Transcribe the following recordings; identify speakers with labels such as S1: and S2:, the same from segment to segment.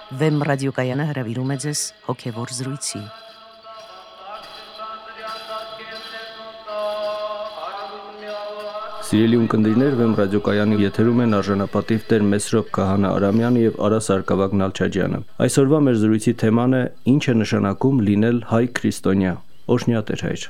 S1: Վեմ ռադիոկայանը հրավիրում է ձեզ հոգևոր զրույցի։
S2: Սիրելի ունկնդիրներ, Վեմ ռադիոկայանի եթերում են արժանապատիվ Տեր Մեսրոպ Քահանա Արամյանը եւ Արա Սարգսակ Նալչաջյանը։ Այսօրվա մեր զրույցի թեման է «Ինչ է նշանակում լինել հայ քրիստոնյա»։ Օրհնյա Տեր հայր։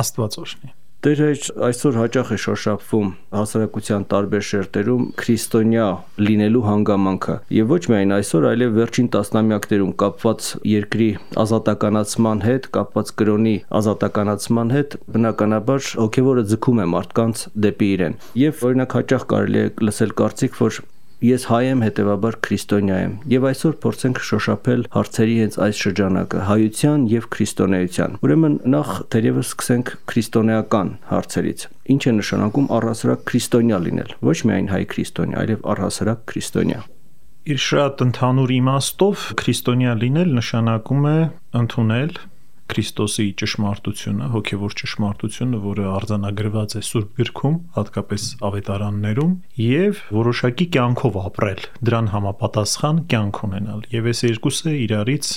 S3: Աստված օրհնի։
S2: Տեր հայր, այսօր հաճախ է շոշափվում հասարակության տարբեր շերտերում քրիստոնյա լինելու հանգամանքը, եւ ոչ միայն այսօր, այլև վերջին տասնամյակներում կապված երկրի ազատականացման հետ, կապված կրոնի ազատականացման հետ, բնականաբար հոգեվորը ձգում է մարդկանց դեպի իրեն։ Եվ օրինակ հաճախ կարելի է լսել կարծիք, որ ես հայ եմ, հետևաբար քրիստոնյա եմ։ Եվ այսօր փորձենք շոշափել հարցերի հենց այս շրջանակը՝ հայության եւ քրիստոնեության։ Ուրեմն նախ թերևս սկսենք քրիստոնեական հարցերից։ Ինչ է նշանակում առհասարակ քրիստոնյա լինել։ Ոչ միայն հայ քրիստոնյա, այլև առհասարակ քրիստոնյա։
S3: Իր շատ ընդհանուր իմաստով քրիստոնյա լինել նշանակում է ընդունել Քրիստոսի ճշմարտությունը, հոգևոր ճշմարտությունը, որը արձանագրված է Սուրբ Գրքում, հատկապես ավետարաններում, եւ որոշակի կյանքով ապրել, դրան համապատասխան կյանք ունենալ։ Եվ այս երկուսը իրարից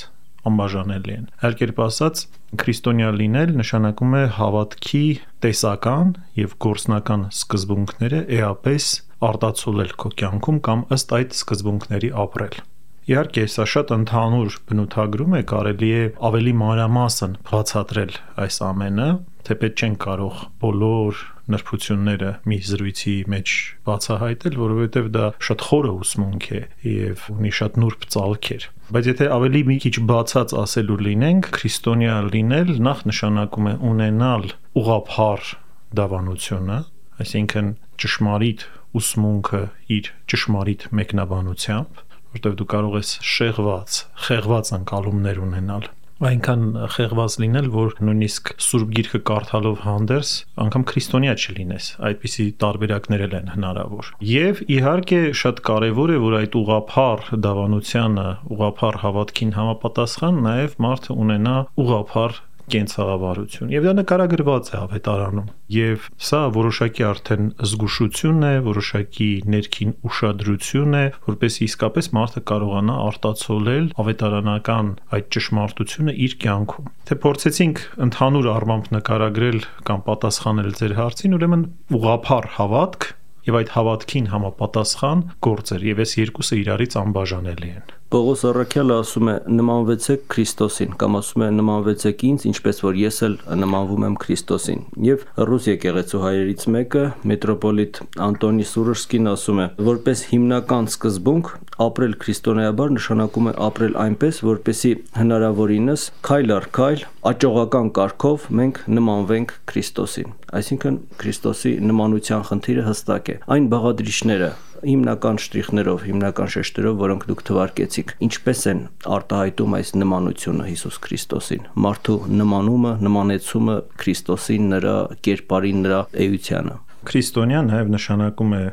S3: անբաժանելի են։ Այլ կերպ ասած, քրիստոնյա լինել նշանակում է հավատքի տեսական եւ գործնական սկզբունքները էապես արտացոլել քո կյանքում կամ ըստ այդ սկզբունքների ապրել։ Իհարկե, սա շատ ընդհանուր բնութագրում է, կարելի է ավելի մանրամասն բացատրել այս ամենը, թեպետ չենք կարող բոլոր նրբությունները մի զրույցի մեջ բացահայտել, որովհետև դա շատ խորը ուսմունք է եւ ունի շատ նուրբ ծալքեր։ Բայց եթե ավելի մի քիչ բացած ասելու լինենք, քրիստոնյա լինել նախ նշանակում է ունենալ ուղղափառ դավանությունը, այսինքն ճշմարիտ ուսմունքը իր ճշմարիտ մեկնաբանությամբ, որտեղ դու կարող ես խեղված ընկալումներ ունենալ, այնքան խեղված լինել, որ նույնիսկ Սուրբ Գիրքը կարդալով հանդերձ անգամ քրիստոնյա չլինես, այդպիսի տարբերակներ են հնարավոր։ Եվ իհարկե շատ կարևոր է, որ այդ ուղղափառ դավանությանը, ուղղափառ հավատքին համապատասխան նաև մարդը ունենա ուղղափառ կենցաղավարություն, եւ դա նկարագրված է ավետարանում, եւ սա որոշակի արդեն զգուշություն է, որոշակի ներքին ուշադրություն է, որպեսզի իսկապես մարդը կարողանա արտացոլել ավետարանական այդ ճշմարտությունը իր կյանքում։ Թե փորձեցինք ընդհանուր առմամբ նկարագրել կամ պատասխանել ձեր հարցին, ուրեմն ուղղափառ հավատք եւ այդ հավատքին համապատասխան գործեր, եւ այս երկուսը իրարից անբաժանելի են։
S2: Պողոս առաքյալը ասում է նմանվեցեք Քրիստոսին, կամ ասում է նմանվեցեք ինձ, ինչպես որ ես էլ նմանվում եմ Քրիստոսին։ Եվ ռուս եկեղեցու հայրերից մեկը, մետրոպոլիտ Անտոնի Սուրսկին ասում է, որպես հիմնական սկզբունք ապրել քրիստոնեաբար նշանակում է ապրել այնպես, որպեսզի հնարավորինս քայլ առ քայլ աճողական կարգով մենք նմանվենք Քրիստոսին։ Այսինքն Քրիստոսի նմանության խնդիրը հստակ է։ Այն բաղադրիչները հիմնական շտրիխներով, հիմնական շեշտերով, որոնք դուք թվարկեցիք, ինչպես են արտահայտում այս նմանությունը Հիսուս Քրիստոսին, մարդու նմանումը, նմանեցումը Քրիստոսին, նրա կերպարին, նրա էությանը։
S3: Քրիստոնյա նաև նշանակում է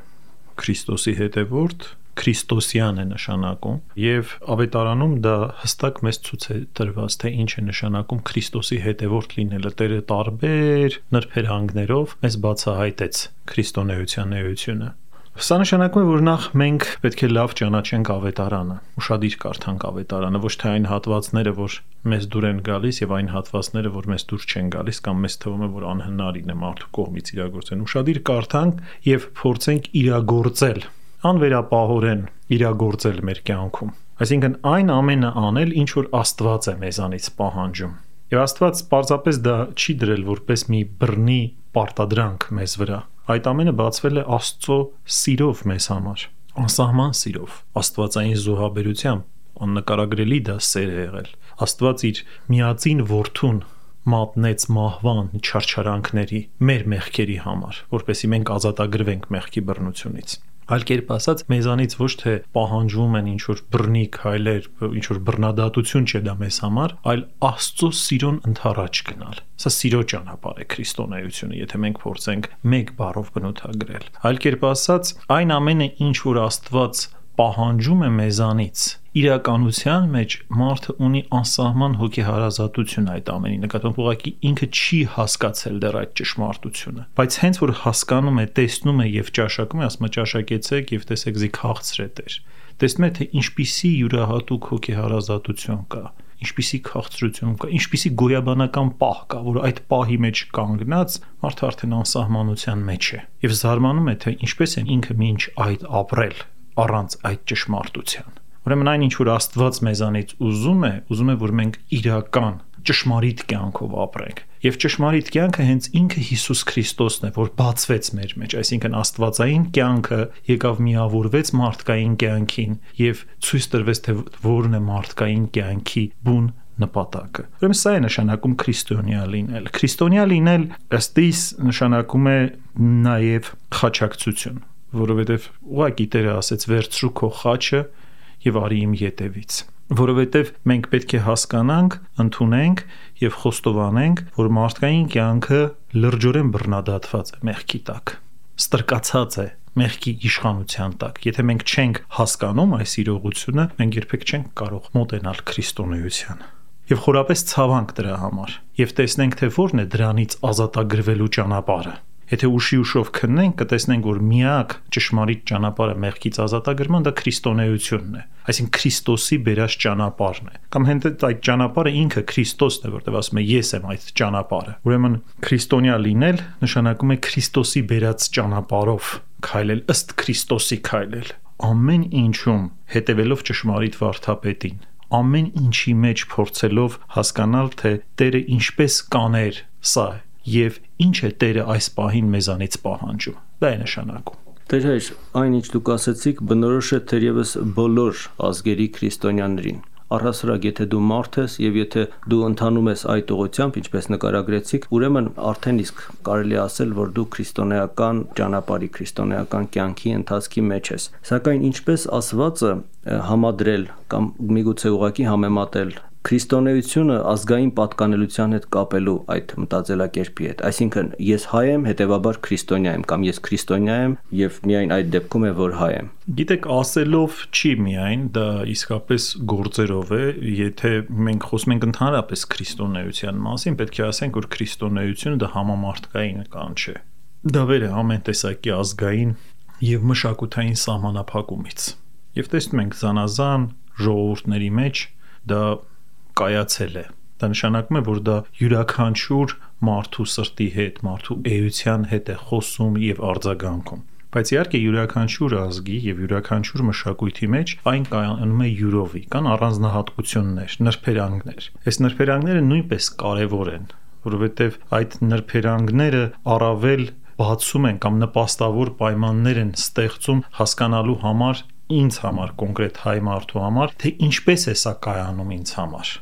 S3: Քրիստոսի հետևորդ, քրիստոսյան է նշանակում, եւ ավետարանում դա հստակ մեզ ցույց է տրված, թե ինչ է նշանակում Քրիստոսի հետևորդ լինելը։ Տերը տարբեր նրբերանգներով մեզ բացահայտեց քրիստոնեության էությունը։ Սա նշանակում է, որ նախ մենք պետք է լավ ճանաչենք ավետարանը, ուշադիր կարդանք ավետարանը, ոչ թե այն հատվածները, որ մեզ դուր են գալիս, եւ այն հատվածները, որ մեզ դուր չեն գալիս կամ մեզ թվում է, որ անհնարին է մարդու կողմից իրագործել։ Ուշադիր կարդանք եւ փորձենք իրագործել, անվերապահորեն իրագործել մեր կյանքում։ Այսինքն այն ամենը անել, ինչ որ Աստված է մեզանից պահանջում։ Եվ Աստված պարզապես դա չի դրել որպես մի բռնի պարտադրանք մեզ վրա։ Այդ ամենը բացվել է Աստծո սիրով մեզ համար, անսահման սիրով, աստվածային զոհաբերությամբ, աննկարագրելի դա սեր է եղել։ Աստված իր միածին որդուն մատնեց մահվան չարչարանքների մեր մեղքերի համար, որպեսզի մենք ազատագրվենք մեղքի բռնությունից։ Այլ կերպ ասած, մեզանից ոչ թե պահանջվում են ինչ-որ բռնի քայլեր, ինչ-որ բռնադատություն չէ դա մեզ համար, այլ Աստծո սիրուն ընդառաջ գնալ։ Սա սիրո ճանապարհ է քրիստոնեությունը, եթե մենք փորձենք մեկ բառով բնութագրել։ Այլ կերպ ասած, այն ամենը, ինչ որ Աստված պահանջում է մեզանից, իրականության մեջ մարդը ունի անսահման հոգեհարազատություն այդ ամենի նկատմամբ, ուղղակի ինքը չի հասկացել դեռ այդ ճշմարտությունը, բայց հենց որ հասկանում է, տեսնում է եւ ճաշակում է, ասում է ճաշակեցեք եւ տեսեք զի քաղցր է Տեր, տեսնում է, թե ինչպիսի յուրահատուկ հոգեհարազատություն կա, ինչպիսի քաղցրություն կա, ինչպիսի գոյաբանական պահ կա, որ այդ պահի մեջ կանգնած մարդը արդեն անսահմանության մեջ է եւ զարմանում է, թե ինչպես են ինքը մինչ այդ ապրել առանց այդ ճշմարտության։ Ուրեմն այն ինչ որ Աստված մեզանից ուզում է, որ մենք իրական ճշմարիտ կյանքով ապրենք։ Եվ ճշմարիտ կյանքը հենց ինքը Հիսուս Քրիստոսն է, որ բացվեց մեր մեջ, այսինքն աստվածային կյանքը եկավ միավորվեց մարդկային կյանքին եւ ցույց տրվեց, թե որն է մարդկային կյանքի բուն նպատակը։ Ուրեմն սա է նշանակում քրիստոնյա լինել։ Քրիստոնյա լինել ըստ իս նշանակում է նաեւ խաչակցություն, որովհետեւ ուղղակի Տերը ասեց վերցրու քո խաչը եւ արի իմ ետևից, որովհետեւ մենք պետք է հասկանանք, ընդունենք եւ խոստովանենք, որ մարդկային կյանքը լրջորեն բռնադատված է մեղքի տակ, ստրկացած է մեղքի իշխանության տակ։ Եթե մենք չենք հասկանում այս իրողությունը, մենք երբեք չենք կարող մոտենալ քրիստոնեությանը։ Եվ խորապես ցավանք դրա համար, եւ տեսնենք, թե որն է դրանից ազատագրվելու ճանապարհը։ Եթե ուշով քննենք, կտեսնենք, որ միակ ճշմարիտ ճանապարհը մեղքից ազատագրման դա քրիստոնեությունն է, այսինքն Քրիստոսի բերած ճանապարհն է։ Կամ հենց այդ ճանապարհը ինքը Քրիստոսն է, որտեղ ասում է ես եմ այդ ճանապարհը։ Ուրեմն քրիստոնյա լինել նշանակում է Քրիստոսի բերած ճանապարհով քայլել, ըստ Քրիստոսի քայլել, ամեն ինչում հետևելով ճշմարիտ վարդապետին, ամեն ինչի մեջ փորձելով հասկանալ, թե Տերը ինչպես կաներ սա եւ ինչ է Տերը այս պահին մեզանից պահանջում։ Դա է նշանակում։
S2: Տեր հայր, այն ինչ դուք ասեցիք, բնորոշ է թերևս բոլոր ազգերի քրիստոնյաներին։ Առհասարակ, եթե դու մարդ ես եւ եթե դու ընթանում ես այդ ուղղությամբ, ինչպես նկարագրեցիք, ուրեմն արդեն իսկ կարելի է ասել, որ դու քրիստոնեական ճանապարհի, քրիստոնեական կյանքի ընթացքի մեջ ես։ Սակայն ինչպես ասվածը համադրել կամ միգուցե ուղղակի համեմատել քրիստոնեությունը ազգային պատկանելության հետ կապելու այդ մտածելակերպի հետ, այսինքն ես հայ եմ, հետևաբար քրիստոնյա եմ, կամ ես քրիստոնյա եմ եւ միայն այդ դեպքում է որ հայ եմ։
S3: Գիտեք, ասելով չի միայն, դա իսկապես գործերով է, եթե մենք խոսում ենք ընդհանրապես քրիստոնեության մասին, պետք է ասենք, որ քրիստոնեությունը դա համամարտկային կան չէ։ Դա վեր է ամեն տեսակի ազգային եւ մշակութային սահմանափակումից։ Եվ տեսնում ենք զանազան ժողովուրդների մեջ դա կայացել է։ Դա նշանակում է, որ դա յուրաքանչյուր մարդու սրտի հետ, մարդու էության հետ է խոսում եւ արձագանքում։ Բայց իհարկե յուրաքանչյուր ազգի եւ յուրաքանչյուր մշակույթի մեջ այն կայանում է յուրովի, կան առանձնահատկություններ, նրբերանգներ։ Այս նրբերանգները նույնպես կարեւոր են, որովհետեւ այդ նրբերանգները առավել բացում են կամ նպաստավոր պայմաններ են ստեղծում հասկանալու համար ինձ համար, կոնկրետ հայ մարդու համար, թե ինչպես է սա կայանում ինձ համար,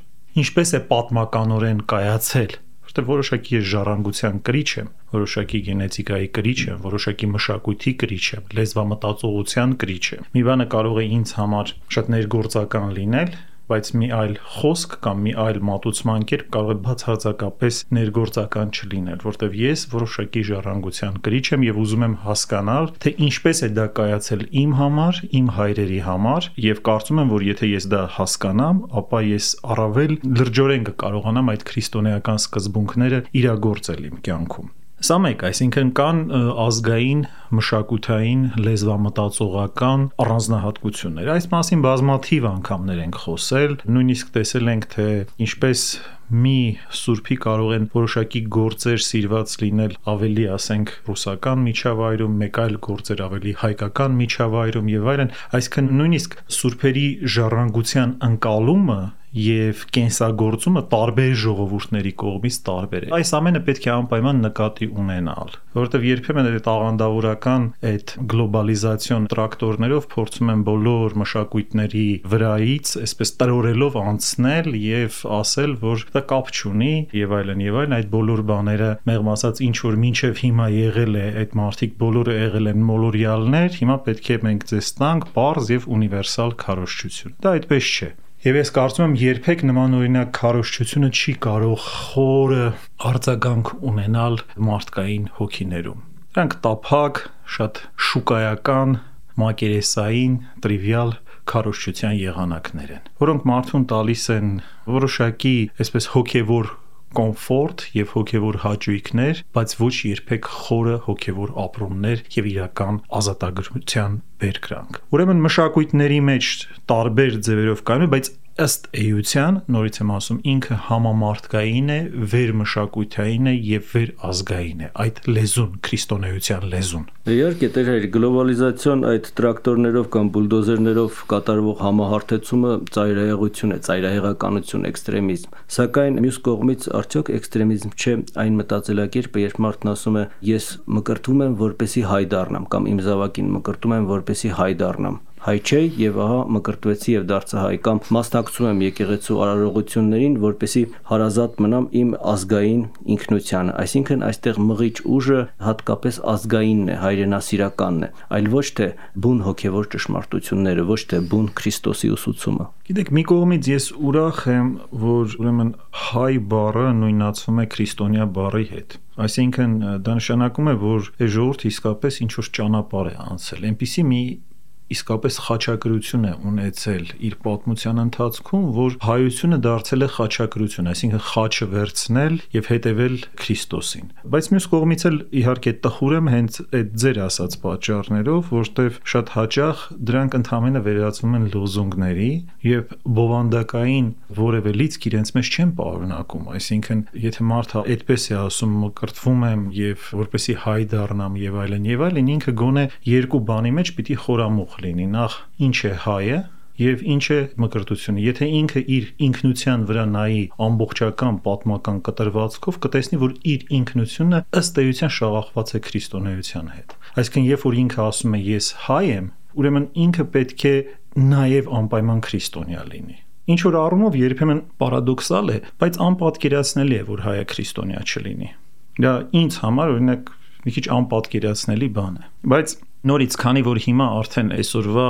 S3: ինչպես է պատմականորեն կայացել, որտեղ որոշակի ես ժառանգության կրիչ եմ, որոշակի գենետիկայի կրիչ եմ, որոշակի մշակույթի կրիչ եմ, լեզվամտածողության կրիչ եմ։ Մի բանը կարող է ինձ համար շատ ներգործական լինել, բայց մի այլ խոսք կամ մի այլ մատուցման կերպ կարող է բացարձակապես ներգործական չլինել, որտեղ ես որոշակի ժառանգության կրիչ եմ եւ ուզում եմ հասկանալ, թե ինչպես է դա կայացել իմ համար, իմ հայրերի համար, եւ կարծում եմ, որ եթե ես դա հասկանամ, ապա ես առավել լրջորեն կկարողանամ այդ քրիստոնեական սկզբունքները իրագործել իմ կյանքում։ Սա մեկ, այսինքն կան ազգային, մշակութային, լեզվամտածողական առանձնահատկություններ։ Այս մասին բազմաթիվ անգամներ ենք խոսել, նույնիսկ տեսել ենք, թե ինչպես մի սուրբի կարող են որոշակի գործեր սիրված լինել ավելի, ասենք, ռուսական միջավայրում, մեկ այլ գործեր ավելի հայկական միջավայրում եւ այլն, այսինքն նույնիսկ սուրբերի ժառանգության ընկալումը եւ կենսագործումը տարբեր ժողովուրդների կողմից տարբեր է։ Այս ամենը պետք է անպայման նկատի ունենալ, որովհետեւ երբեմն այդ աղանդավորական այդ գլոբալիզացիոն տրակտորներով փորձում են բոլոր մշակույթների վրայից, այսպես տրորելով անցնել եւ ասել, որ դա կապ չունի եւ այլն, այդ բոլոր բաները մեղմ ասած ինչ որ մինչեւ հիմա եղել է, այդ մարդիկ բոլորը եղել են մոլորյալներ, հիմա պետք է մենք ձեզ տանք պարզ եւ ունիվերսալ քարոզչություն։ Դա այդպես չէ։ Եվ ես կարծում եմ երբեք նմանօրինակ քարոզչությունը չի կարող խորը արձագանք ունենալ մարդկային հոգիներում։ Դրանք տափակ, շատ շուկայական, մակերեսային, տրիվիալ քարոզչության եղանակներ են, որոնք մարդուն տալիս են որոշակի այսպես հոգևոր կոմֆորտ եւ հոգեվոր հաճույքներ, բայց ոչ երբեք խորը հոգեվոր ապրումներ եւ իրական ազատագրության բերկրանք։ Ուրեմն մշակույթների մեջ տարբեր ձևերով կայանում է, բայց ըստ էության, նորից եմ ասում, ինքը համամարտկային է, վերմշակութային է եւ վերազգային է, այդ լեզուն, քրիստոնեության լեզուն։
S2: Իհարկե, տերեր, գլոբալիզացիոն այդ տրակտորներով կամ բուլդոզերներով կատարվող համահարթեցումը ծայրահեղություն է, ծայրահեղականություն, էքստրեմիզմ։ Սակայն մյուս կողմից արդյոք էքստրեմիզմ չէ այն մտածելակերպը, երբ մարդն ասում է ես մկրտվում եմ, որպեսզի հայ դառնամ, կամ իմ զավակին մկրտում եմ, որպեսզի հայ դառնամ։ Հայ չէ եւ ահա մկրտվեցի եւ դարձա հայ, կամ մասնակցում եմ եկեղեցու արարողություններին, որպեսզի հարազատ մնամ իմ ազգային ինքնությանը, այսինքն այստեղ մղիչ ուժը հատկապես ազգայինն է, հայրենասիրականն է, այլ ոչ թե բուն հոգեվոր ճշմարտությունները, ոչ թե բուն Քրիստոսի ուսուցումը։
S3: Գիտեք, մի կողմից ես ուրախ եմ, որ ուրեմն հայ բառը նույնացվում է քրիստոնյա բառի հետ։ Այսինքն դա նշանակում է, որ ժողովուրդը իսկապես ինչ որ ճանապարհ է անցել, այնպիսի մի իսկապես խաչակրություն է ունեցել իր պատմության ընթացքում, որ հայությունը դարձել է խաչակրություն, այսինքն խաչը վերցնել եւ հետեւել Քրիստոսին։ Բայց մյուս կողմից էլ իհարկե տխուր եմ հենց այդ ձեր ասած պատճառներով, որտեվ շատ հաճախ դրանք ընդհանրապես վերածվում են լոզունգների եւ բովանդակային որևէ լիցք իրենց մեջ չեն պարունակում, այսինքն եթե մարդը այդպես է ասում մկրտվում եմ եւ որպեսի հայ դառնամ եւ այլն, ինքը գոնե երկու բանի մեջ պիտի խորամուխ լինի, նախ ինչ է հայը եւ ինչ է մկրտությունը։ Եթե ինքը իր ինքնության վրա նայի ամբողջական պատմական կտրվածքով, կտեսնի, որ իր ինքնությունը ըստ էության շաղախված է քրիստոնեության հետ։ Այսինքն, երբ որ ինքը ասում է ես հայ եմ, ուրեմն ինքը պետք է նաեւ անպայման քրիստոնյա լինի։ Ինչ որ առումով երբեմն պարադոքսալ է, բայց անպատկերացնելի է, որ հայը քրիստոնյա չլինի։ Դա ինձ համար օրինակ մի քիչ անպատկերացնելի բան է։ Բայց նորից, քանի որ հիմա արդեն այսօրվա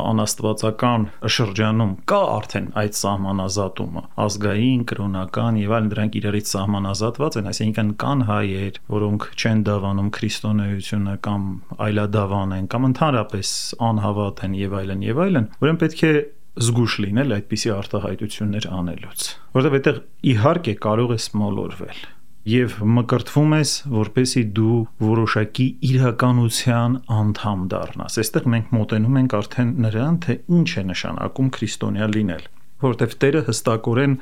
S3: անաստվածական շրջանում կա արդեն այդ սահմանազատումը, ազգային, կրոնական եւ այլն, դրանք իրարից սահմանազատված են, այսինքն կան հայեր, որոնք չեն դավանում քրիստոնեությունը կամ այլադավան են, կամ ընդհանրապես անհավատ են եւ այլն, ուրեմն պետք է զգուշ լինել այդպիսի արտահայտություններ անելուց, որովհետեւ այդտեղ իհարկե կարող ես մոլորվել եւ մկրտվում ես, որպեսի դու որոշակի իրականության անդամ դառնաս։ Այստեղ մենք մոտենում ենք արդեն նրան, թե ինչ է նշանակում քրիստոնյա լինել, որովհետեւ Տերը հստակորեն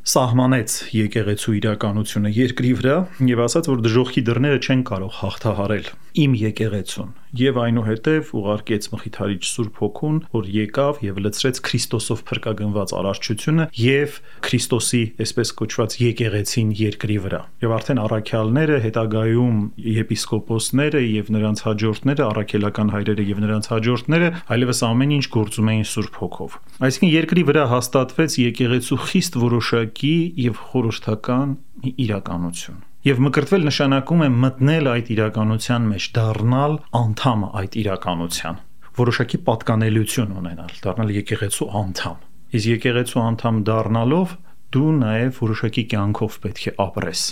S3: սահմանեց եկեղեցու իրականությունը երկրի վրա եւ ասաց, որ դժոխքի դռները չեն կարող հաղթահարել իմ եկեղեցուն եւ այնուհետեւ ուղարկեց Մխիթարիչ Սուրբ Հոգուն, որ եկավ եւ լցրեց Քրիստոսով փրկագնված արարչությունը եւ Քրիստոսի այսպես կոչված եկեղեցին երկրի վրա։ Եւ արդեն առաքյալները, հետագայում եպիսկոպոսները եւ նրանց հաջորդները, առաքելական հայրերը եւ նրանց հաջորդները այլևս ամեն ինչ գործում էին Սուրբ Հոգով։ Այսինքն երկրի վրա հաստատվեց եկեղեցու խիստ որոշակի եւ խորհրդական իրականություն։ Եվ մկրտվել նշանակում է մտնել այդ իրականության մեջ, դառնալ անդամ այդ իրականության, որոշակի պատկանելություն ունենալ, դառնալ եկեղեցու անդամ։ Իսկ եկեղեցու անդամ դառնալով դու նաև որոշակի կյանքով պետք է ապրես։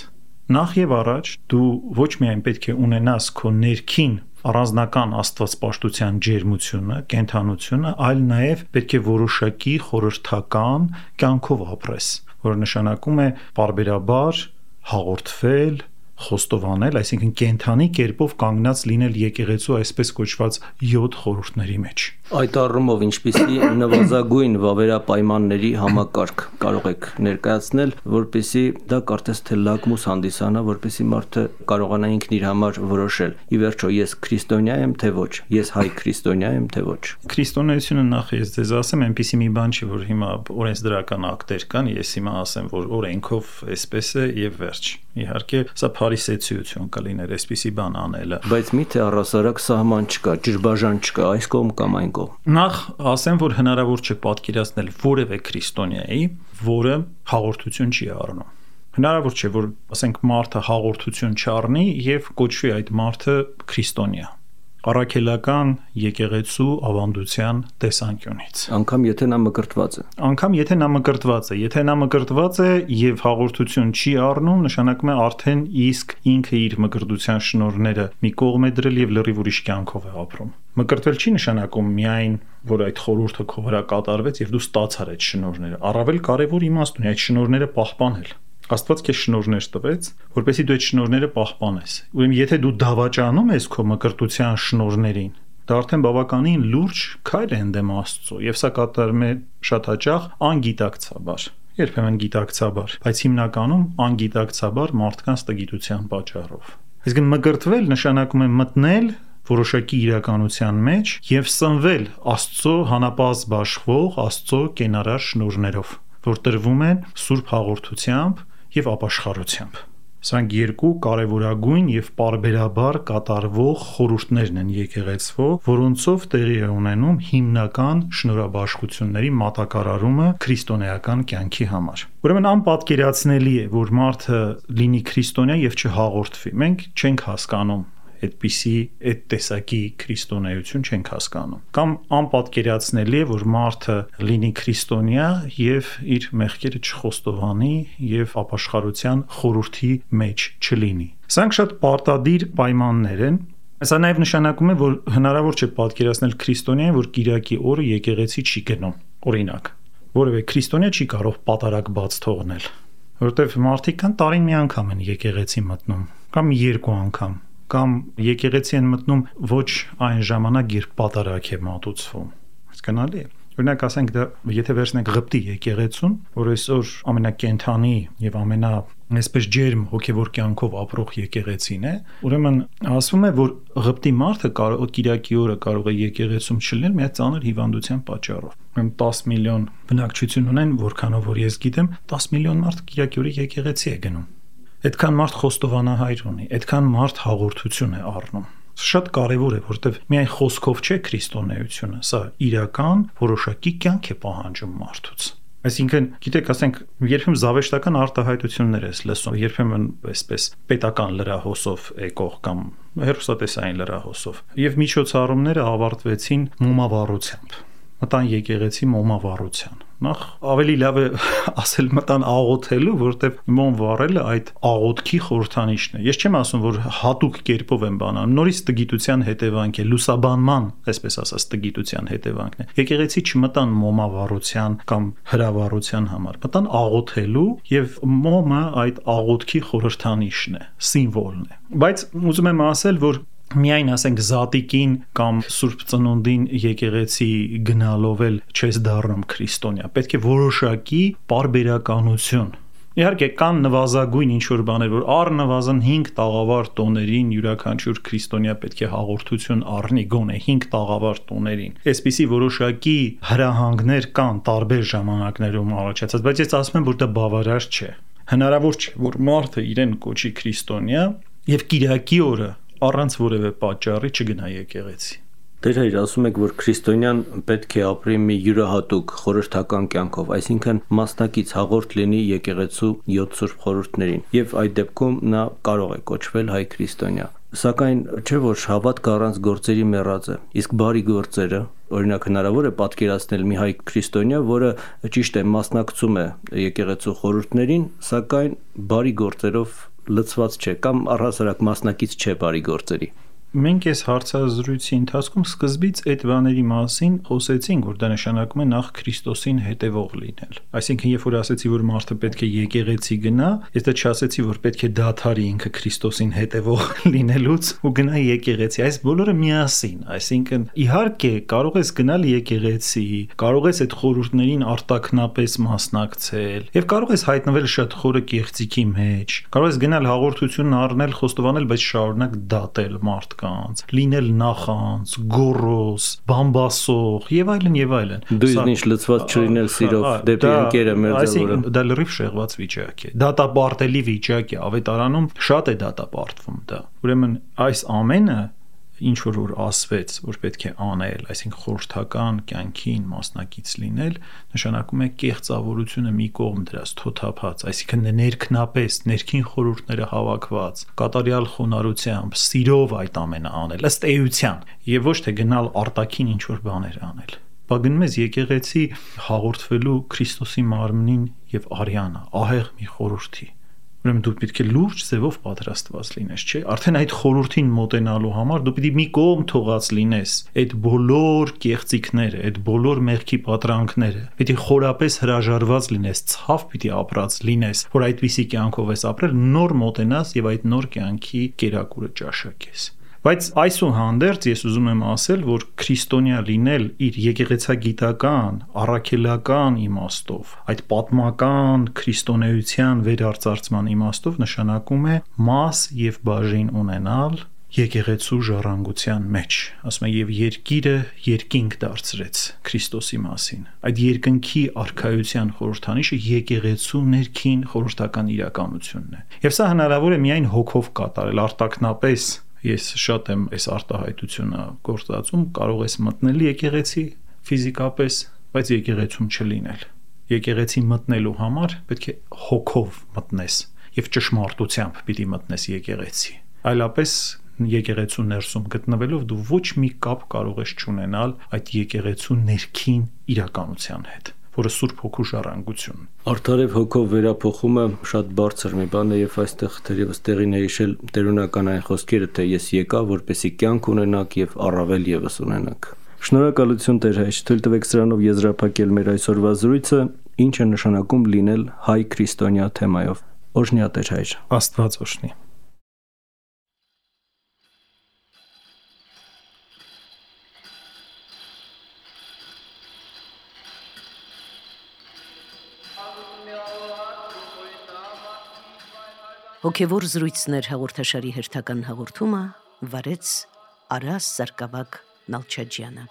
S3: Նախ եւ առաջ դու ոչ միայն պետք է ունենաս քո ներքին առանձնական աստվածպաշտության ջերմությունը, կենթանությունը, այլ նաև պետք է որոշակի խորհրդական կյանքով ապրես, որը նշանակում է պարբերաբար հաղորդվել, խոստովանել, այսինքն կենթանի կերպով կանգնած լինել եկեղեցու այսպես կոչված 7 խորհուրդների մեջ։
S2: Այդ առումով ինչպիսի նվազագույն վավերապայմանների համակարգ կարող եք ներկայացնել, որպեսզի դա կարծես թե լակմուս հանդիսանա, որպեսզի մարդը կարողանա ինքն իր համար որոշել։ Ի վերջո ես քրիստոնյա եմ թե ոչ, ես հայ քրիստոնյա եմ թե ոչ։
S3: Քրիստոնեությունը նախ ես ձեզ ասեմ, այնպիսի մի բան չի, որ հիմա օրենսդրական ակտեր կան, ես հիմա ասեմ, որ օրենքով այսպես է եւ վերջ։ Իհարկե, սա փարիսեցիություն կլիներ այսպիսի բան անելը։
S2: Բայց միթե առասարակ սահման չկա, ջրբաժան չկա, այս կողմ կամ այն կողմ։
S3: Նախ ասեմ, որ հնարավոր չէ պատկերացնել որևէ քրիստոնյայի, որը հաղորդություն չի առնում։ Հնարավոր չէ, որ ասենք մարդը հաղորդություն չառնի եւ կոչվի այդ մարդը քրիստոնյա։ Առաքելական եկեղեցու ավանդության տեսանկյունից։
S2: Անկամ եթե նա մկրտված է։
S3: Անկամ եթե նա մկրտված է, եթե նա մկրտված է եւ հաղորդություն չի առնում, նշանակում է արդեն իսկ ինքը իր մկրտության շնորհները մի կողմ է դրել եւ լրիվ ուրիշ կյանքով է ապրում։ Մկրտվել չի նշանակում միայն, որ այդ խորհուրդը քո վրա կատարվեց եւ դու ստացար այդ շնորհները։ Առավել կարեւոր իմաստ ունի այդ շնորհները պահպանել։ Աստված քեզ շնորհներ տվեց, որպեսզի դու այդ շնորհները պահպանես։ Ուրեմն եթե դու դավաճանում ես քո մկրտության շնորհներին, դա արդեն բավականին լուրջ քայլ է ընդդեմ Աստծո, եւ սա կատարվում է շատ հաճախ անգիտակցաբար, երբեմն գիտակցաբար, բայց հիմնականում անգիտակցաբար մարդկանց տգիտության պատճառով։ Այսինքն մկրտվել նշանակում է մտնել որոշակի իրականության մեջ եւ սնվել Աստծո հանապազտ բաշխվող Աստծո կենարար շնորհներով, որ տրվում են սուրբ հաղորդությամբ եւ ապաշխարությամբ։ Սրանք երկու կարևորագույն եւ պարբերաբար կատարվող խորհուրդներն են եկեղեցվո, որոնցով տեղի է ունենում հիմնական շնորհաբաշխությունների մատակարարումը քրիստոնեական կյանքի համար։ Ուրեմն անպատկերացնելի է, որ մարդը լինի քրիստոնյա եւ չհաղորդվի։ Մենք չենք հասկանում այդպիսի այդ տեսակի քրիստոնեություն չենք հասկանում։ Կամ անպատկերացնելի է, որ մարդը լինի քրիստոնյա եւ իր մեղքերը չխոստովանի եւ ապաշխարության խորհրդի մեջ չլինի։ Սրանք շատ պարտադիր պայմաններ են։ Սա նաեւ նշանակում է, որ հնարավոր չէ պատկերացնել քրիստոնյային, որ կիրակի օրը եկեղեցի չի գնում։ Օրինակ, որևէ քրիստոնյա չի կարող պատարակ բաց թողնել, որովհետեւ մարդիկ կան տարին մի անգամ են եկեղեցի մտնում, կամ երկու անգամ, կամ եկեղեցի են մտնում ոչ այն ժամանակ, երբ պատարակ է մատուցվում։ Հասկանալի է։ Օրինակ ասենք դա եթե վերցնենք Ղպտի եկեղեցուն, որ այսօր ամենակենդանի եւ այսպես ջերմ հոգեվոր կյանքով ապրող եկեղեցին է, ուրեմն ասվում է, որ Ղպտի մարդը կիրակի օրը կարող է եկեղեցում չլինել մի ծանր հիվանդության պատճառով։ Ուրեմն 10 միլիոն բնակչություն ունեն, որքանով որ ես գիտեմ, 10 միլիոն մարդ կիրակի օրը եկեղեցի է գնում։ Այդքան մարդ խոստովանահայր ունի, այդքան մարդ հաղորդություն է առնում։ Շատ կարևոր է, որովհետև միայն խոսքով չէ քրիստոնեությունը, սա իրական որոշակի կյանք է պահանջում մարդուց։ Այսինքն, գիտեք, ասենք, երբեմն զավեշտական արտահայտություններ ես լսում, երբեմն այսպես պետական լրահոսով եկող կամ հեռուստատեսային լրահոսով, եւ միջոցառումները ավարտվեցին մոմավառությամբ։ Մտան եկեղեցի մոմավառության։ Նախ ավելի լավ է ասել մտան աղոթելու, որովհետև մոմ վառելը այդ աղոթքի խորհրդանիշն է։ Ես չեմ ասում, որ հատուկ կերպով եմ բանանում, նորից տգիտության հետևանք է, լուսաբանման, այսպես ասած, տգիտության հետևանքն է։ Եկեղեցի չմտան մոմավառության կամ հրավառության համար, մտան աղոթելու եւ մոմը այդ աղոթքի խորհրդանիշն է, սիմվոլն է։ Բայց ուզում եմ ասել, որ միայն ասենք զատիկին կամ Սուրբ Ծնունդին եկեղեցի գնալով էլ չես դառնում քրիստոնյա, պետք է որոշակի պարբերականություն։ Իհարկե կան նվազագույն ինչ-որ բաներ, որ առնվազն 5 տաղավար տոներին յուրաքանչյուր քրիստոնյա պետք է հաղորդություն առնի, գոնե 5 տաղավար տոներին։ Այսպիսի որոշակի հրահանգներ կան տարբեր ժամանակներում առաջացած, բայց ես ասում եմ, որ դա բավարար չէ։ Հնարավոր չէ, որ մարդը իրեն կոչի քրիստոնյա եւ կիրակի օրը առանց որևէ պատճառի չգնա եկեղեցի։
S2: Դեր հայր, ասում եք, որ քրիստոնյան պետք է ապրի մի յուրահատուկ խորհրդական կյանքով, այսինքն մասնակից հաղորդ լինի եկեղեցու 7 սուրբ խորհուրդներին, եւ այդ դեպքում նա կարող է կոչվել հայ քրիստոնյա։ Սակայն չէ որ հավատքը առանց գործերի մեռած է, իսկ բարի գործերը, օրինակ հնարավոր է պատկերացնել մի հայ քրիստոնյա, որը ճիշտ է մասնակցում է եկեղեցու խորհուրդներին, սակայն բարի գործերով լցված չէ կամ առհասարակ մասնակից չէ բարի գործերի։
S3: Մենք այս հարցազրույցի ընթացքում սկզբից այդ բաների մասին խոսեցինք, որ դա նշանակում է նախ Քրիստոսին հետևող լինել։ Այսինքն, երբ որ ասեցի, որ մարդը պետք է եկեղեցի գնա, ես դա չասեցի, որ պետք է դադարի ինքը Քրիստոսին հետևող լինելուց ու գնա եկեղեցի։ Այս բոլորը միասին, այսինքն, իհարկե կարող ես գնալ եկեղեցի, կարող ես այդ խորհուրդներին արտաքնապես մասնակցել եւ կարող ես հայտնվել շատ խորը կեղծիքի մեջ, կարող ես գնալ հաղորդություն առնել, խոստովանել, բայց շարունակ դատել մարդկանց, լինել նախանց, գոռոզ, բամբասող եւ այլն եւ այլն։
S2: Դու ինչ լծված չլինել սիրով դեպի ընկերը մերձավորը։
S3: Դա լրիվ շեղված վիճակ է։ Դատապարտելի վիճակ է, ավետարանում շատ է դատապարտվում դա։ Ուրեմն այս ամենը ինչ որ ասվեց, որ պետք է անել, այսինքն խորհրդական կյանքին մասնակից լինել, նշանակում է կեղծավորությունը մի կողմ դրած, թոթափած, այսինքն ներքնապես, ներքին խորհուրդները հավաքված, կատարյալ խոնարհությամբ, սիրով այդ ամենը անել, ըստ էության, եւ ոչ թե գնալ արտաքին ինչ որ բաներ անել։ Բա գնում ես եկեղեցի հաղորդվելու Քրիստոսի մարմնին եւ արյանը, ահեղ մի խորհրդի։ Ուրեմն դու պետք է լուրջ ձևով պատրաստված լինես, չէ՞։ Արդեն այդ խորհրդին մոտենալու համար դու պիտի մի կողմ թողած լինես այդ բոլոր կեղծիքները, այդ բոլոր մեղքի պատրանքները։ Պիտի խորապես հրաժարված լինես, ցավ պիտի ապրած լինես, որ այդպիսի կյանքով ես ապրել, նոր մոտենաս եւ այդ նոր կյանքի կերակուրը ճաշակես։ Բայց այսուհանդերձ ես ուզում եմ ասել, որ քրիստոնյա լինել իր եկեղեցագիտական, առաքելական իմաստով, այդ պատմական քրիստոնեության վերարծարծման իմաստով նշանակում է մաս եւ բաժին ունենալ եկեղեցու ժառանգության մեջ, ասում է, եւ երկիրը երկինք դարձրեց Քրիստոսի մասին։ Այդ երկնքի արքայության խորհրդանիշը եկեղեցու ներքին խորհրդական իրականությունն է։ Եվ սա հնարավոր է միայն հոգով կատարել, արտաքնապես ես շատ եմ այս արտահայտությունը գործածում, կարող ես մտնել եկեղեցի ֆիզիկապես, բայց եկեղեցում չլինել։ Եկեղեցի մտնելու համար պետք է հոգով մտնես եւ ճշմարտությամբ պիտի մտնես եկեղեցի։ Այլապես եկեղեցու ներսում գտնվելով դու ոչ մի կապ կարող ես չունենալ այդ եկեղեցու ներքին իրականության հետ, որը Սուրբ Հոգու ժառանգությունն։
S2: Արդարև հոգով վերափոխումը շատ բարձր մի բան է եւ այստեղ դերևս տեղին է հիշել տերունական այն խոսքերը, թե ես եկա, որպեսի կյանք ունենաք եւ առավել եւս ունենաք։ Շնորհակալություն Տեր հայր, թույլ տվեք սրանով եզրափակել մեր այսօրվա զրույցը, ինչ է նշանակում լինել հայ քրիստոնյա թեմայով։ Օրհնյա Տեր հայր։
S3: Աստված օրհնի։
S1: Հոգևոր զրույցներ հաղորդաշարի հերթական հաղորդումը վարեց Արաս Սարգսակ Նալչաջյանը։